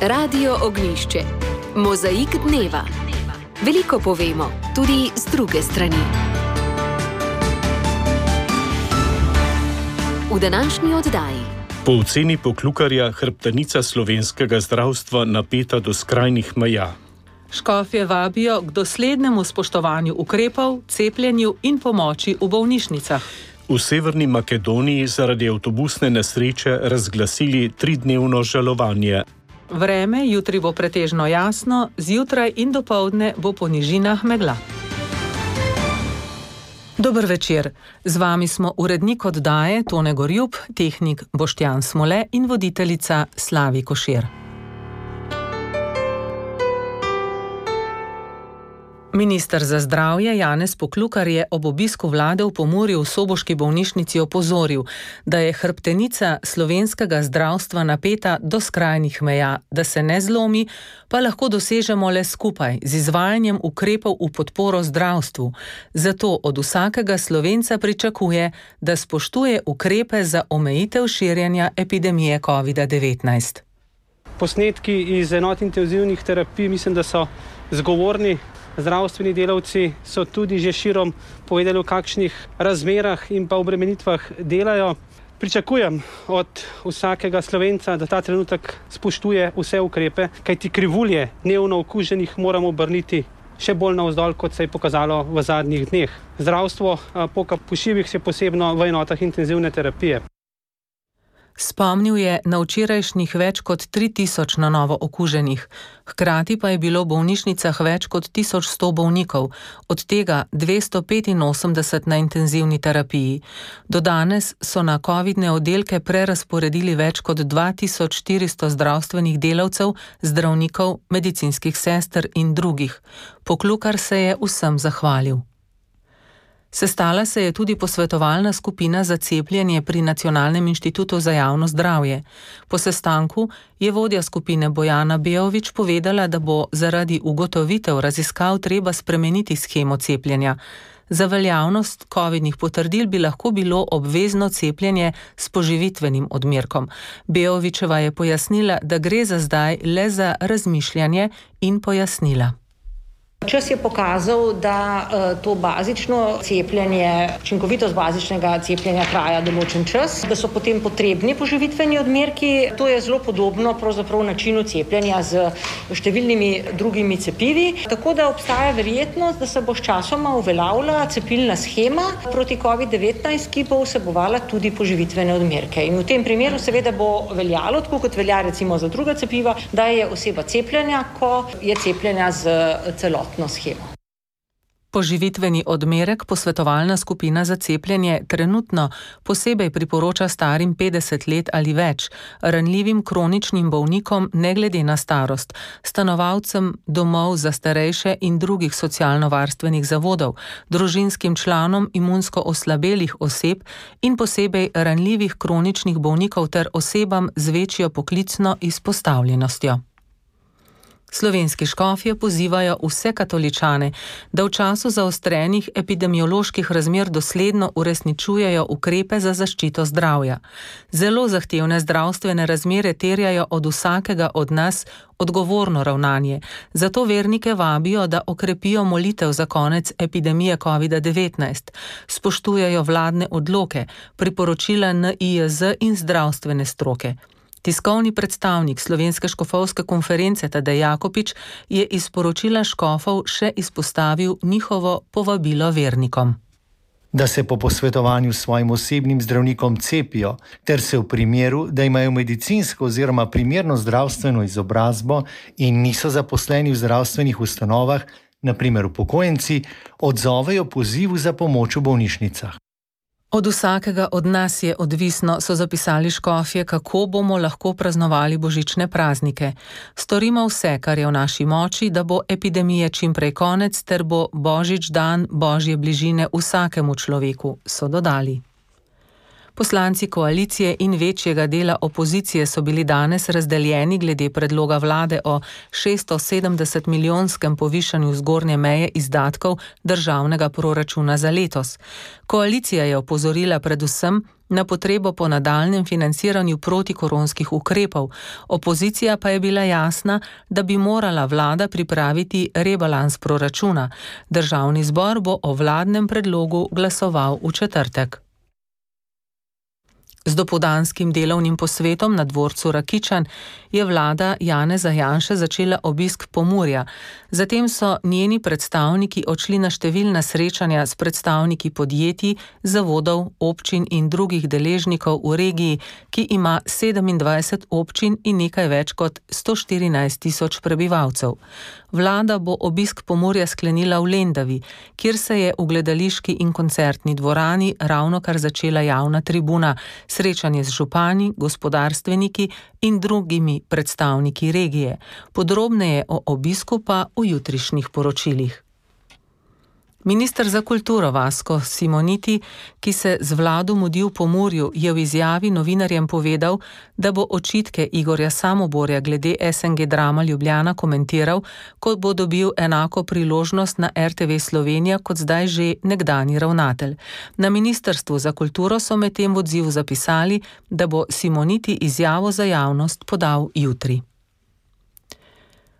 Radio Ognjišče. Mozaik dneva. Veliko povemo, tudi z druge strani. V današnji oddaji. Po oceni Poklukarja hrbtenica slovenskega zdravstva napeta do skrajnih meja. Škofje vabijo k doslednemu spoštovanju ukrepov, cepljenju in pomoči v bolnišnicah. V Severni Makedoniji zaradi avtobusne nesreče razglasili 3-dnevno žalovanje. Vreme jutri bo pretežno jasno, zjutraj in dopoldne bo po nižinah megla. Dober večer. Z vami smo urednik oddaje Tone Gorjup, tehnik Boštjan Smole in voditeljica Slavi Košir. Minister za zdravje Janez Poklukar je ob obisku vlade v Pomurju v soboški bolnišnici opozoril, da je hrbtenica slovenskega zdravstva napeta do skrajnih meja, da se ne zlomi, pa lahko dosežemo le skupaj z izvajanjem ukrepov v podporo zdravstvu. Zato od vsakega Slovenca pričakuje, da spoštuje ukrepe za omejitev širjenja epidemije COVID-19. Posnetki iz enot intenzivnih terapij mislim, da so zgovorni. Zdravstveni delavci so tudi že širom povedali, v kakšnih razmerah in pa obremenitvah delajo. Pričakujem od vsakega Slovenca, da ta trenutek spoštuje vse ukrepe, kajti krivulje dnevno okuženih moramo obrniti še bolj navzdol, kot se je pokazalo v zadnjih dneh. Zdravstvo poka po šivih, še posebno v enotah intenzivne terapije. Spomnil je na včerajšnjih več kot 3000 na novo okuženih. Hkrati pa je bilo v bolnišnicah več kot 1100 bolnikov, od tega 285 na intenzivni terapiji. Do danes so na covidne oddelke prerazporedili več kot 2400 zdravstvenih delavcev, zdravnikov, medicinskih sester in drugih. Poklukar se je vsem zahvalil. Sestala se je tudi posvetovalna skupina za cepljenje pri Nacionalnem inštitutu za javno zdravje. Po sestanku je vodja skupine Bojana Bejović povedala, da bo zaradi ugotovitev raziskav treba spremeniti shemo cepljenja. Za veljavnost covidnih potrdil bi lahko bilo obvezno cepljenje s poživitvenim odmerkom. Bejovićeva je pojasnila, da gre za zdaj le za razmišljanje in pojasnila. Čas je pokazal, da to bazično cepljenje, učinkovitost bazičnega cepljenja traja določen čas, da so potem potrebni poživitveni odmerki. To je zelo podobno pravzaprav načinu cepljenja z številnimi drugimi cepivi. Tako da obstaja verjetnost, da se bo sčasoma uveljavila cepilna shema proti COVID-19, ki bo vsebovala tudi poživitvene odmerke. In v tem primeru seveda bo veljalo, tako kot velja recimo za druga cepiva, da je oseba cepljena, ko je cepljena z celotno schemo. Poživitveni odmerek posvetovalna skupina za cepljenje trenutno posebej priporoča starim 50 let ali več, ranljivim kroničnim bolnikom ne glede na starost, stanovalcem domov za starejše in drugih socialno-varstvenih zavodov, družinskim članom imunsko oslabelih oseb in posebej ranljivih kroničnih bolnikov ter osebam z večjo poklicno izpostavljenostjo. Slovenski škofje pozivajo vse katoličane, da v času zaostrenih epidemioloških razmer dosledno uresničujejo ukrepe za zaščito zdravja. Zelo zahtevne zdravstvene razmere terjajo od vsakega od nas odgovorno ravnanje. Zato vernike vabijo, da okrepijo molitev za konec epidemije COVID-19, spoštujejo vladne odloke, priporočila NIJZ in zdravstvene stroke. Tiskovni predstavnik Slovenske škofovske konference Tadej Jakopič je iz sporočila škofov še izpostavil njihovo povabilo vernikom. Da se po posvetovanju s svojim osebnim zdravnikom cepijo, ter se v primeru, da imajo medicinsko oziroma primerno zdravstveno izobrazbo in niso zaposleni v zdravstvenih ustanovah, na primer upokojenci, odzovejo pozivu za pomoč v bolnišnicah. Od vsakega od nas je odvisno, so zapisali škofje, kako bomo lahko praznovali božične praznike. Storimo vse, kar je v naši moči, da bo epidemije čim prej konec, ter bo božič dan božje bližine vsakemu človeku, so dodali. Poslanci koalicije in večjega dela opozicije so bili danes razdeljeni glede predloga vlade o 670 milijonskem povišanju zgornje meje izdatkov državnega proračuna za letos. Koalicija je opozorila predvsem, na potrebo po nadaljnjem financiranju protikoronskih ukrepov. Opozicija pa je bila jasna, da bi morala vlada pripraviti rebalans proračuna. Državni zbor bo o vladnem predlogu glasoval v četrtek. Z dopoldanskim delovnim posvetom na dvorcu Rakičan je vlada Janeza Janše začela obisk Pomurja. Zatem so njeni predstavniki odšli na številna srečanja s predstavniki podjetij, zavodov, občin in drugih deležnikov v regiji, ki ima 27 občin in nekaj več kot 114 tisoč prebivalcev. Vlada bo obisk Pomurja sklenila v Lendavi, kjer se je v gledališki in koncertni dvorani ravnokar začela javna tribuna, srečanje z župani, gospodarstveniki in drugimi predstavniki regije. Podrobneje o obisku pa v jutrišnjih poročilih. Minister za kulturo Vasko Simoniti, ki se z vlado mudi v Pomurju, je v izjavi novinarjem povedal, da bo očitke Igorja Samoborja glede SNG Drama Ljubljana komentiral, ko bo dobil enako priložnost na RTV Slovenija kot zdaj že nekdanji ravnatelj. Na Ministrstvu za kulturo so medtem v odzivu zapisali, da bo Simoniti izjavo za javnost podal jutri.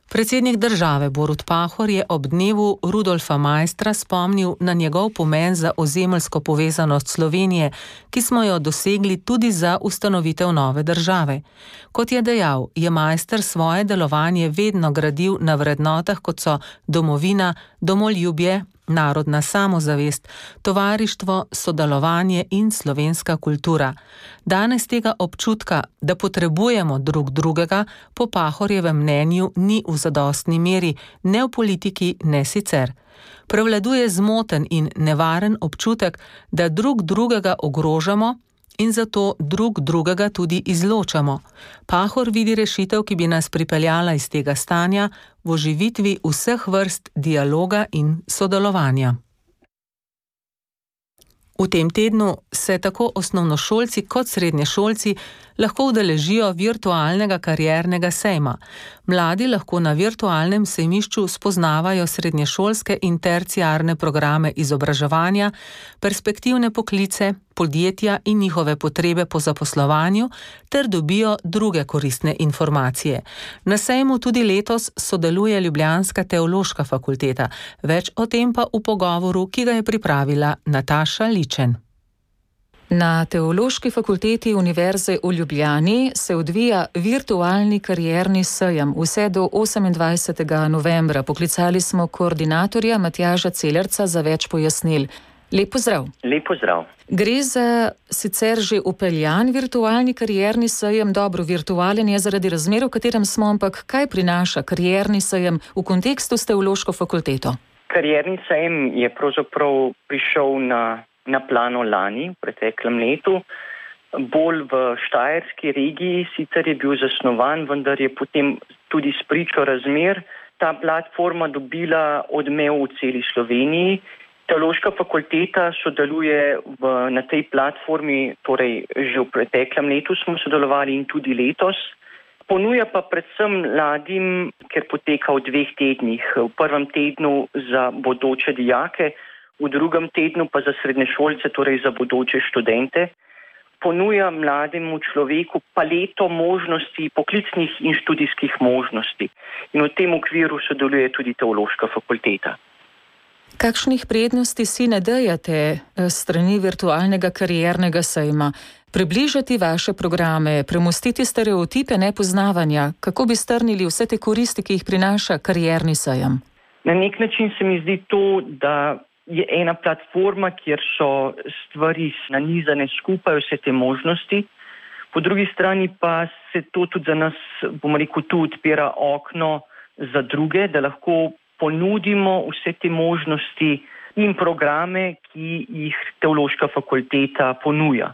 Predsednik države Borut Pahor je ob dnevu Rudolfa Maistra spomnil na njegov pomen za ozemeljsko povezanost Slovenije, ki smo jo dosegli tudi za ustanovitev nove države. Kot je dejal, je Maister svoje delovanje vedno gradil na vrednotah, kot so domovina, domoljubje, narodna samozavest, tovarištvo, sodelovanje in slovenska kultura. Danes tega občutka, da potrebujemo drug drugega, po Pahorjevem mnenju ni v zadostni meri, ne v politiki, ne sicer. Prevladuje zmoten in nevaren občutek, da drug drugega ogrožamo in zato drug drugega tudi izločamo. Pahor vidi rešitev, ki bi nas pripeljala iz tega stanja v oživitvi vseh vrst dialoga in sodelovanja. V tem tednu se tako osnovnošolci kot srednješolci lahko udeležijo virtualnega kariernega sejma. Mladi lahko na virtualnem sejmišču spoznavajo srednješolske in terciarne programe izobraževanja, perspektivne poklice, podjetja in njihove potrebe po zaposlovanju ter dobijo druge koristne informacije. Na sejmu tudi letos sodeluje ljubljanska teološka fakulteta. Več o tem pa v pogovoru, ki ga je pripravila Nataša Ličen. Na Teološki fakulteti Univerze v Ljubljani se odvija virtualni karierni sejem vse do 28. novembra. Poklicali smo koordinatorja Matjaža Celerca za več pojasnil. Lep pozdrav. Lep pozdrav. Gre za sicer že upeljan virtualni karierni sejem, dobro, virtualen je zaradi razmer, v katerem smo, ampak kaj prinaša karierni sejem v kontekstu s Teološko fakulteto? Karierni sejem je pravzaprav prišel na plano lani, v preteklem letu, bolj v štajerski regiji, sicer je bil zasnovan, vendar je potem tudi spričo razmer ta platforma dobila odmev v celi Sloveniji. Teološka fakulteta sodeluje na tej platformi, torej že v preteklem letu smo sodelovali in tudi letos. Ponuja pa predvsem mladim, ker poteka v 2 tednih. V prvem tednu za bodoče dijake, v drugem tednu pa za srednješolce, torej za bodoče študente. Ponuja mlademu človeku paleto možnosti, poklicnih in študijskih možnosti. In v tem okviru sodeluje tudi Teološka fakulteta. Kakšnih prednosti si nadejate strani virtualnega kariernega sejma? Približati vaše programe, premostiti stereotipe nepoznavanja, kako bi strnili vse te koristi, ki jih prinaša karierni sejem? Na nek način se mi zdi to, da je ena platforma, kjer so stvari nanizane skupaj, vse te možnosti. Po drugi strani pa se to tudi za nas, bomo rekel, tu odpira okno za druge, da lahko ponudimo vse te možnosti in programe, ki jih Teološka fakulteta ponuja.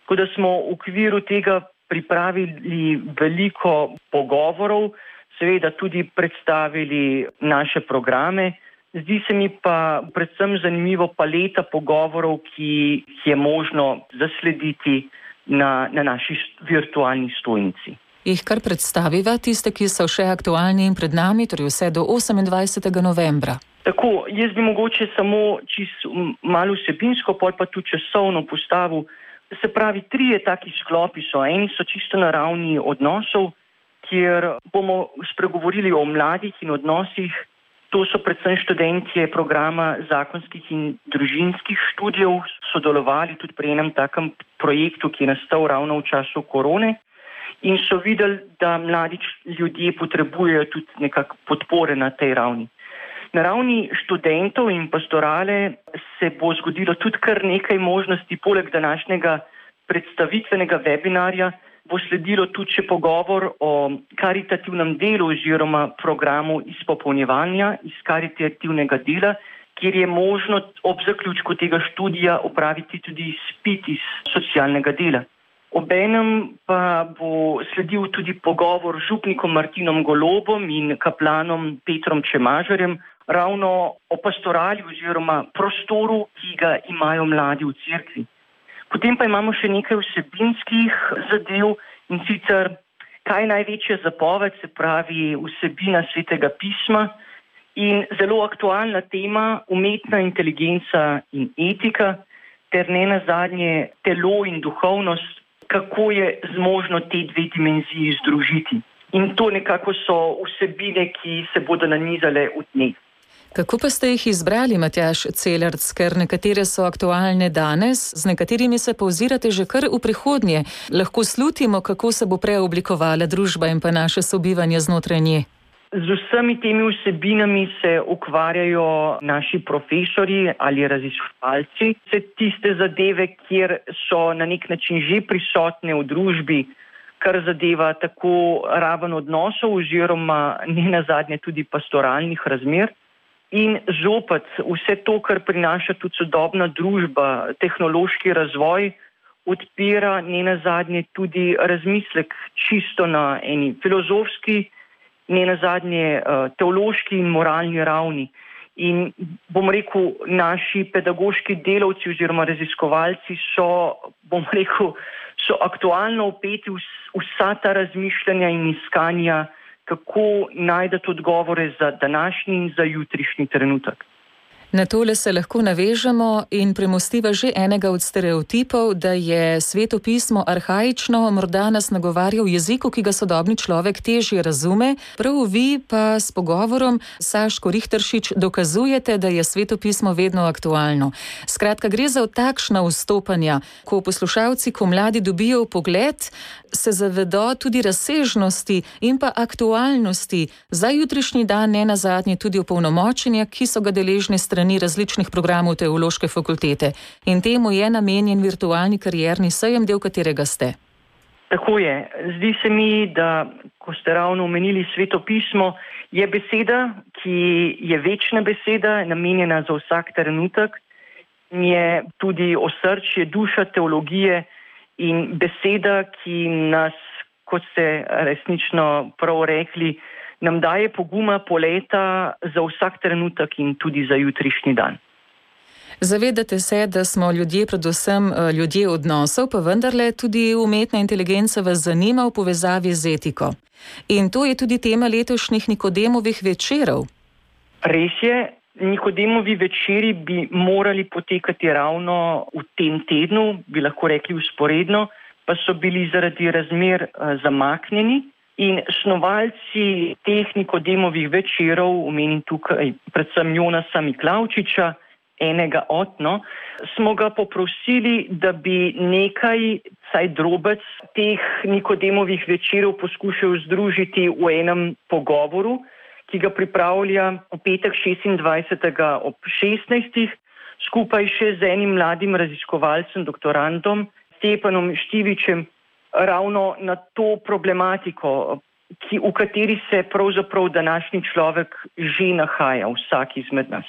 Tako da smo v okviru tega pripravili veliko pogovorov, seveda tudi predstavili naše programe. Zdi se mi pa predvsem zanimivo paleta pogovorov, ki je možno zaslediti na naši virtualni stojnici. Jih kar predstaviva tiste, ki so še aktualni in pred nami, torej vse do 28. novembra. Tako, jaz bi mogoče samo čisto malo vsebinsko, pol pa tudi časovno postavil Se pravi, 3 taki sklopi so. Eni so čisto na ravni odnosov, kjer bomo spregovorili o mladih in odnosih. To so predvsem študentje programa zakonskih in družinskih študijev, sodelovali tudi pri enem takem projektu, ki je nastal ravno v času korone in so videli, da mladi ljudje potrebujejo tudi nekako podpore na tej ravni. Na ravni študentov in pastorale se bo zgodilo tudi kar nekaj možnosti, poleg današnjega predstavitvenega webinarja bo sledilo tudi še pogovor o karitativnem delu oziroma programu izpopolnjevanja iz karitativnega dela, kjer je možno ob zaključku tega študija opraviti tudi izpit iz socialnega dela. Obenem pa bo sledil tudi pogovor z župnikom Martinom Golobom in kaplanom Petrom Čemažarjem ravno o pastorali oziroma prostoru, ki ga imajo mladi v cerkvi. Potem pa imamo še nekaj vsebinskih zadev in sicer kaj je največja zapoved, se pravi vsebina Svetega pisma in zelo aktualna tema umetna inteligenca in etika ter ne nazadnje telo in duhovnost, kako je zmožno te 2 dimenziji združiti. In to nekako so vsebine, ki se bodo nanizale v dneh. Kako pa ste jih izbrali, Matjaž Celerc, ker nekatere so aktualne danes, z nekaterimi se povzirate že kar v prihodnje. Lahko slutimo, kako se bo preoblikovala družba in pa naše sobivanje znotraj nje. Z vsemi temi vsebinami se ukvarjajo naši profesorji ali raziskovalci. Vse tiste zadeve, kjer so na nek način že prisotne v družbi, kar zadeva tako raven odnosov oziroma ne nazadnje tudi pastoralnih razmer. In zopet vse to, kar prinaša tudi sodobna družba, tehnološki razvoj, odpira ne nazadnje tudi razmislek čisto na eni filozofski, ne nazadnje teološki in moralni ravni. In bom rekel, naši pedagoški delavci oziroma raziskovalci so aktualno vpeti vsa ta razmišljanja in iskanja, kako najdete odgovore za današnji in za jutrišnji trenutek. Na tole se lahko navežemo in premostiva že enega od stereotipov, da je Sveto pismo arhaično, morda nas nagovarja v jeziku, ki ga sodobni človek težje razume. Prav vi pa s pogovorom Saško Richteršič dokazujete, da je Sveto pismo vedno aktualno. Skratka, gre za takšna vstopanja, ko poslušalci, ko mladi dobijo vpogled, se zavedo tudi razsežnosti in pa aktualnosti za jutrišnji dan, ne nazadnje tudi opolnomočenja, ki so ga deležni strani različnih programov Teološke fakultete. In temu je namenjen virtualni karierni sejem, del katerega ste. Tako je. Zdi se mi, da ko ste ravno omenili Sveto pismo, je beseda, ki je večna beseda, namenjena za vsak trenutek, je tudi osrčje, duša teologije in beseda, ki nas, kot ste resnično prav rekli, nam daje poguma, poleta za vsak trenutek in tudi za jutrišnji dan. Zavedate se, da smo ljudje, predvsem ljudje odnosov, pa vendarle tudi umetna inteligenca vas zanima v povezavi z etiko. In to je tudi tema letošnjih Nikodemovih večerov. Res je, Nikodemovi večeri bi morali potekati ravno v tem tednu, bi lahko rekli vzporedno, pa so bili zaradi razmer zamaknjeni. In snovalci teh Nikodemovih večerov, omenim tukaj predvsem Jonasa Miklavčiča, enega od, smo ga poprosili, da bi nekaj, saj drobec teh Nikodemovih večerov poskušal združiti v enem pogovoru, ki ga pripravlja v petek 26. ob 16. skupaj še z enim mladim raziskovalcem, doktorandom Stepanom Štivičem, ravno na to problematiko, v kateri se pravzaprav današnji človek že nahaja, vsak izmed nas.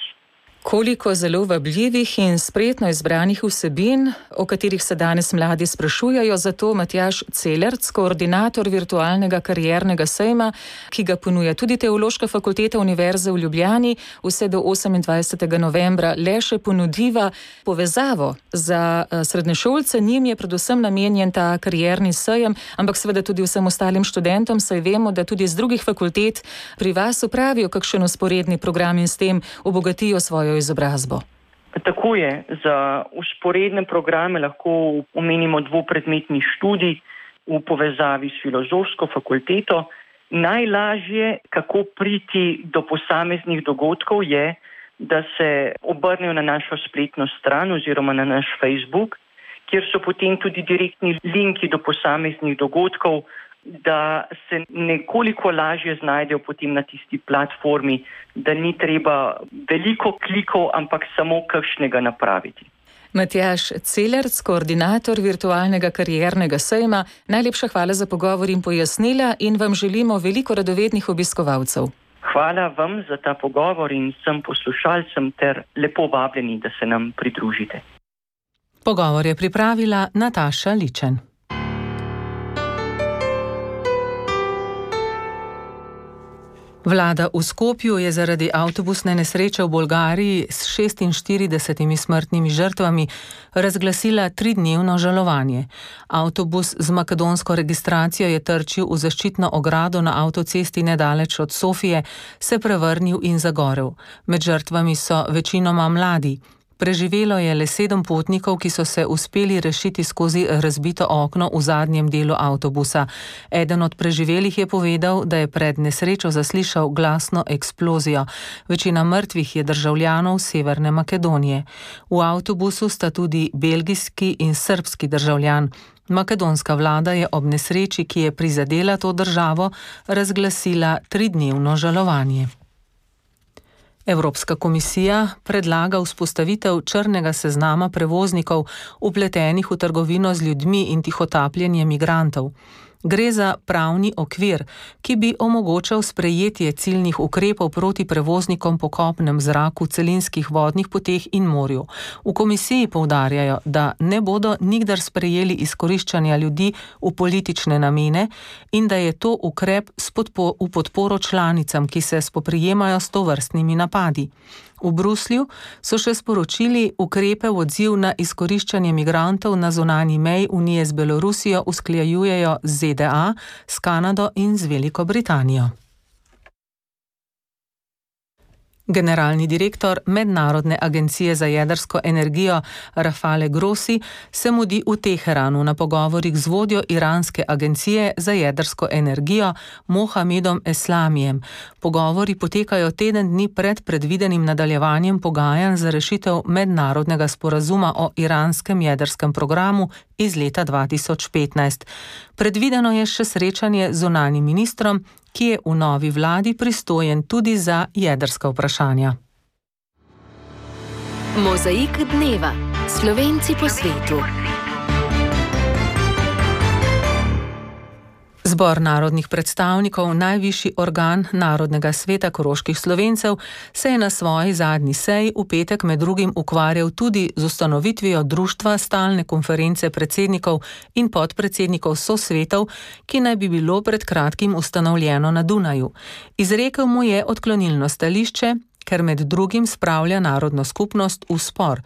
Koliko zelo vabljivih in spretno izbranih vsebin, o katerih se danes mladi sprašujajo, zato Matjaž Celerc, koordinator virtualnega kariernega sejma, ki ga ponuja tudi Teološka fakulteta Univerze v Ljubljani, vse do 28. novembra le še ponudiva povezavo za srednješolce. Njim je predvsem namenjen ta karierni sejem, ampak seveda tudi vsem ostalim študentom, saj vemo, da tudi z drugih fakultet pri vas opravijo kakšen vzporedni program in s tem obogatijo svojo izobrazbo. Tako je, za vzporedne programe lahko omenimo dvopredmetni študij v povezavi s filozofsko fakulteto. Najlažje, kako priti do posameznih dogodkov, je, da se obrnejo na našo spletno stran oziroma na naš Facebook, kjer so potem tudi direktni linki do posameznih dogodkov, da se nekoliko lažje znajdejo potem na tisti platformi, da ni treba veliko klikov, ampak samo kakšnega napraviti. Matjaž Celerc, koordinator virtualnega kariernega sejma, najlepša hvala za pogovor in pojasnila in vam želimo veliko radovednih obiskovalcev. Hvala vam za ta pogovor in vsem poslušalcem ter lepo vabljeni, da se nam pridružite. Pogovor je pripravila Nataša Ličen. Vlada v Skopju je zaradi avtobusne nesreče v Bolgariji s 46 smrtnimi žrtvami razglasila 3-dnevno žalovanje. Avtobus z makedonsko registracijo je trčil v zaščitno ogrado na avtocesti nedaleč od Sofije, se prevrnil in zagorel. Med žrtvami so večinoma mladi. Preživelo je le 7 potnikov, ki so se uspeli rešiti skozi razbito okno v zadnjem delu avtobusa. Eden od preživelih je povedal, da je pred nesrečo zaslišal glasno eksplozijo. Večina mrtvih je državljanov Severne Makedonije. V avtobusu sta tudi belgijski in srbski državljan. Makedonska vlada je ob nesreči, ki je prizadela to državo, razglasila 3-dnevno žalovanje. Evropska komisija predlaga vzpostavitev črnega seznama prevoznikov vpletenih v trgovino z ljudmi in tihotapljenje migrantov. Gre za pravni okvir, ki bi omogočal sprejetje ciljnih ukrepov proti prevoznikom po kopnem, zraku, celinskih vodnih poteh in morju. V komisiji poudarjajo, da ne bodo nikdar sprejeli izkoriščanja ljudi v politične namene in da je to ukrep v podporo članicam, ki se spoprijemajo s tovrstnimi napadi. V Bruslju so še sporočili, ukrepe v odziv na izkoriščanje migrantov na zunanji meji Unije z Belorusijo usklajujejo z ZDA, s Kanado in z Veliko Britanijo. Generalni direktor Mednarodne agencije za jedrsko energijo Rafale Grossi se mudi v Teheranu na pogovorih z vodjo iranske agencije za jedrsko energijo Mohamedom Eslamijem. Pogovori potekajo teden dni pred predvidenim nadaljevanjem pogajanj za rešitev mednarodnega sporazuma o iranskem jedrskem programu iz leta 2015. Predvideno je še srečanje z zunanjim ministrom, ki je v novi vladi pristojen tudi za jedrska vprašanja. Mozaik dneva. Slovenci po svetu. Zbor narodnih predstavnikov, najvišji organ Narodnega sveta koroških Slovencev, se je na svoji zadnji seji v petek med drugim ukvarjal tudi z ustanovitvijo društva stalne konference predsednikov in podpredsednikov sosvetov, ki naj bi bilo pred kratkim ustanovljeno na Dunaju. Izrekel mu je odklonilno stališče, ker med drugim spravlja narodno skupnost v spor.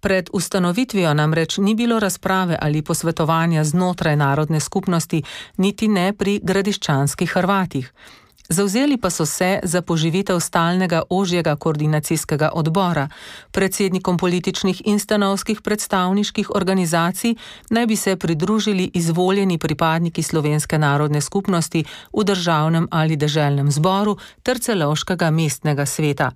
Pred ustanovitvijo namreč ni bilo razprave ali posvetovanja znotraj narodne skupnosti, niti ne pri gradiščanskih Hrvatih. Zavzeli pa so se za poživitev stalnega ožjega koordinacijskega odbora. Predsednikom političnih in stanovskih predstavniških organizacij naj bi se pridružili izvoljeni pripadniki slovenske narodne skupnosti v državnem ali deželnem zboru ter celovškega mestnega sveta.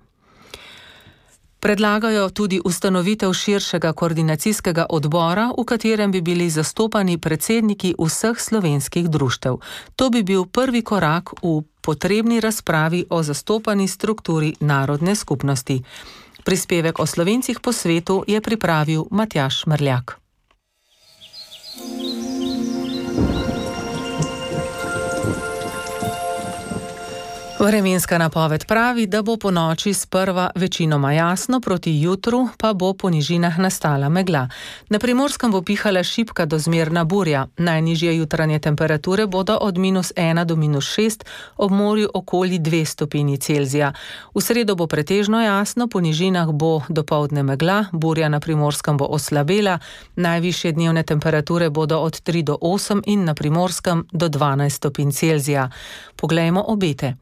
Predlagajo tudi ustanovitev širšega koordinacijskega odbora, v katerem bi bili zastopani predsedniki vseh slovenskih društev. To bi bil prvi korak v potrebni razpravi o zastopani strukturi narodne skupnosti. Prispevek o Slovencih po svetu je pripravil Matjaž Mrljak. Vremenska napoved pravi, da bo po noči sprva večinoma jasno, proti jutru pa bo po nižinah nastala megla. Na Primorskem bo pihala šibka do zmerna burja. Najnižje jutranje temperature bodo od -1 do -6, ob morju okoli 2 stopinji Celzija. V sredo bo pretežno jasno, po nižinah bo dopoldne megla, burja na Primorskem bo oslabela, najvišje dnevne temperature bodo od 3 do 8 in na Primorskem do 12 stopinj Celzija. Poglejmo obete.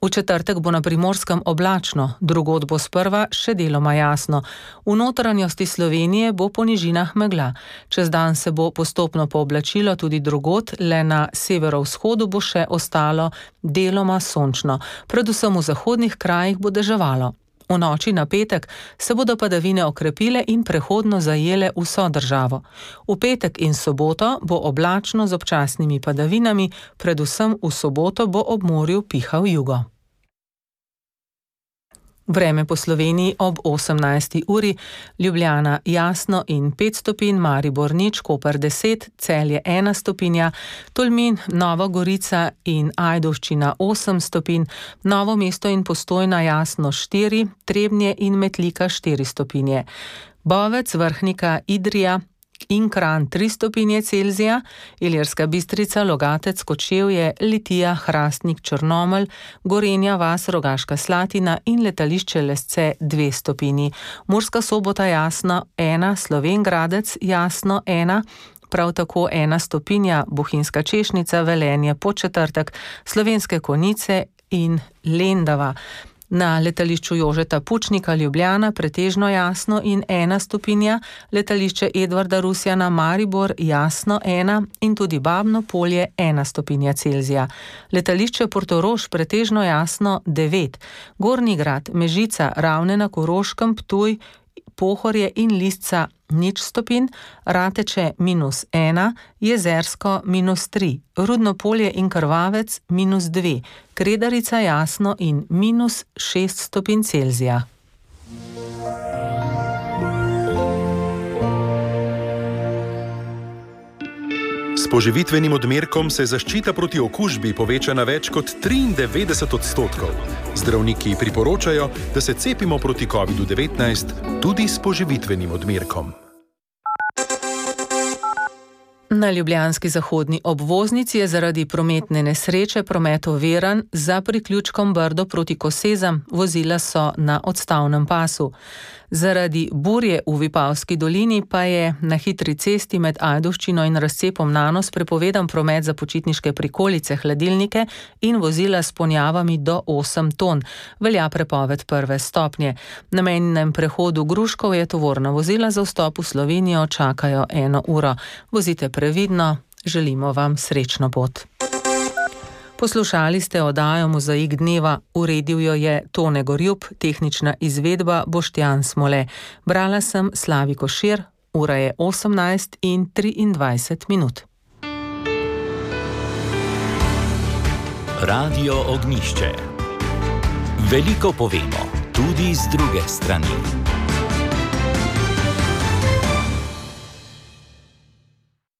V četrtek bo na Primorskem oblačno, drugod bo sprva še deloma jasno. V notranjosti Slovenije bo po nižinah megla. Čez dan se bo postopno pooblačilo tudi drugod, le na severovzhodu bo še ostalo deloma sončno. Predvsem v zahodnih krajih bo deževalo. V noči na petek se bodo padavine okrepile in prehodno zajele vso državo. V petek in soboto bo oblačno z občasnimi padavinami, predvsem v soboto bo ob morju pihal jugo. Vreme po Sloveniji ob 18. uri, Ljubljana jasno in 5 stopinj, Maribor nič, Koper 10, Celje 1 stopinja, Tolmin, Nova Gorica in Ajdovščina 8 stopinj, Novo mesto in Postojna jasno 4, Trebnje in Metlika 4 stopinje, Bovec, Vrhnika, Idrija in Kranj 3 stopinje Celzija, Ilirska Bistrica, Logatec, Kočevje, Litija, Hrastnik, Črnomelj, Gorenja vas, Rogaška Slatina in letališče Lesce 2 stopinji. Murska Sobota jasno 1, Slovenj Gradec jasno 1, prav tako 1 stopinja, Bohinjska Češnica, Velenje, Podčetrtek, Slovenske Konjice in Lendava. Na letališču Jožeta Pučnika Ljubljana pretežno jasno in 1 stopinja, letališče Edvarda Rusjana Maribor jasno 1 in tudi Babno Polje 1 stopinja Celzija. Letališče Portorož pretežno jasno 9, Gornji Grad, Mežica, Ravne na Koroškem, Ptuj, Pohorje in Lisca 0 stopinj, Rateče -1, Jezersko -3, Rudno Polje in Krvavec -2, Kredarica jasno in -6 stopinj Celzija. S poživitvenim odmerkom se zaščita proti okužbi poveča na več kot 93%. Zdravniki priporočajo, da se cepimo proti COVID-19 tudi s poživitvenim odmerkom. Na ljubljanski zahodni obvoznici je zaradi prometne nesreče promet oviran za priključkom Brdo proti Kosezam, vozila so na odstavnem pasu. Zaradi burje v Vipavski dolini pa je na hitri cesti med Ajdovščino in razcepom Nanos prepovedan promet za počitniške prikolice, hladilnike in vozila s ponjavami do 8 ton. Velja prepoved 1. stopnje. Na mejnem prehodu Gruškov je tovorna vozila za vstop v Slovenijo čakajo 1 uro. Vozite previdno, želimo vam srečno pot. Poslušali ste oddajo Mozaik dneva, uredil jo je Tone Gorjup, tehnična izvedba Boštjan Smole. Brala sem Slavi Košir, ura je 18:23. Radio Ognjišče. Veliko povemo, tudi z druge strani.